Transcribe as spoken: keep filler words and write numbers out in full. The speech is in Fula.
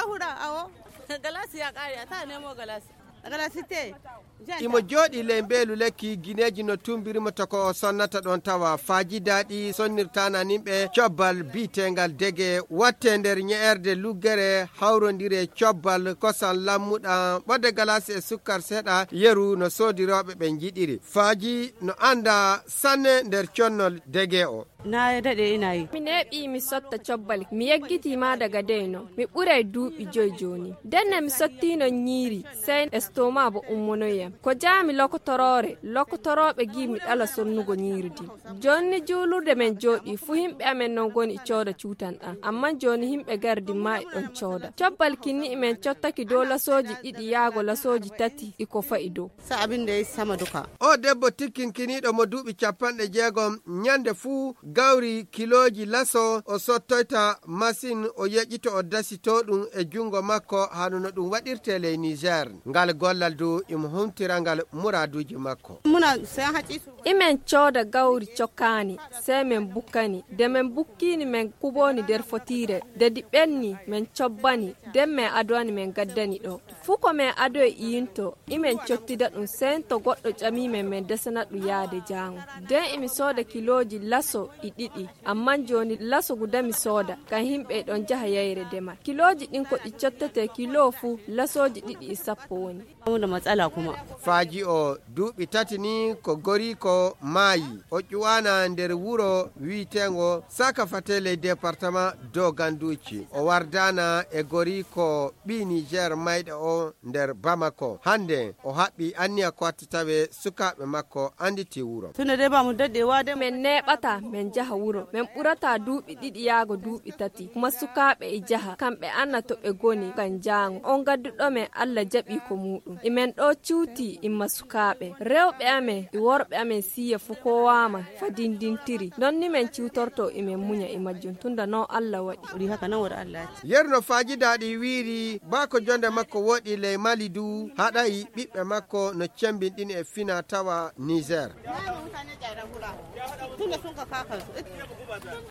Huɗa awo. Galasi ya ƙare, a ta nemo galasi. Galasi te. Imo jooɗii ley mbeelu lekki, gineeji no tummbiri mo to ko o sonnata ɗoon tawa. Faajidaaɗi sonnirtaana nimɓe cobbal biiteengal dege, wattee nder ñe'erde luggere, hawrondire cobbal kosan lammuɗa, ɓodde galasi e sukkar seeɗa, yeru no soodirooɓe ɓe njiɗiri. Faaji no annda sanne nder connol dege o. Na daɗe ina yi. Mi neeɓi mi sotta cobbal. Mi yeggitii ma daga dey no. Mi ɓuray duuɓi joy jooni. Denne mi sottiino ñiiri, sey estoma bo ummonoyam. Ko jaami lokotoroore, lokotorooɓe gi mi ɗala sonnugo ñiiri din. Jooni ni juulurde men jooɗii, fu himɓe amen non goni e cooda cuutan ɗan. Amman jooni himɓe gardi ma e ɗon cooda. Cobbal kinni men cottaki dow lasooji ɗiɗi yaago lasooji tati e ko fa'i dow. Sa abin da ya sama duka. O debbo tikkinkiniiɗo mo duuɓi capanɗe jeegom, ñande fuu gawri kilooji laso o sottoyta masin, o yeƴito o dasito ɗum e junngo makko, hano no ɗum waɗirtee ley Niger. Ngal gollal du imo humtira ngal muraaduuji makko. Muna sayan hacisu. Imen cooda gawri cokkaani, sey men bukkani. De men bukkiini men kubooni der fotiire, de di ɓenni men cobbani, den men adowani men gaddani ɗo. Fu ko men adoy iyinto, imen cottida ɗum sento goɗɗo ƴamii men, men desana ɗum yaade jaango. Den imi sooda kilooji laso e ɗiɗi, amman jooni laso guda mi sooda, kan himɓe e ɗon jaha yayre demal. Kilooji ɗin ko ɗi cottetee kiloo fu lasooji ɗiɗi e sappo woni. Mu da matsala kuma. Faaji o duuɓi tati ni ko goriiko maayi. O ƴuwaana nder wuro wi'eteengo Saka Fate ley departama Doganduci. O wardaana e goriiko ɓii Niger mayɗo o nder Bamako. Hande o haɓɓi anniya ko watti tawe sukaaɓe makko anditii wuro. Tunda dai ba mu daɗe wa dai. Men neeɓataa, men jaha wuro. Men ɓurataa duuɓi ɗiɗi yaago duuɓi tati. Kuma sukaaɓe e jaha, kamɓe anna to ɓe goni kan jaango. On gadduɗo men Alla jaɓi ko muuɗum. E men ɗo cuuti imma sukaaɓe. Rewɓe amen e worɓe amen siiya fu kowaama fa dindintiri. Non ni men ciwtorto e men muña e majjum tunda non Alla waɗi. Wuri haka nan wuri Alla ya ce. Yeru no faajidaaɗi wiiri, baa ko jonde makko woɗi ley Mali du, haɗay ɓiɓɓe makko no cembinɗini e fina tawa Niger. Tunda sun ka kakansu.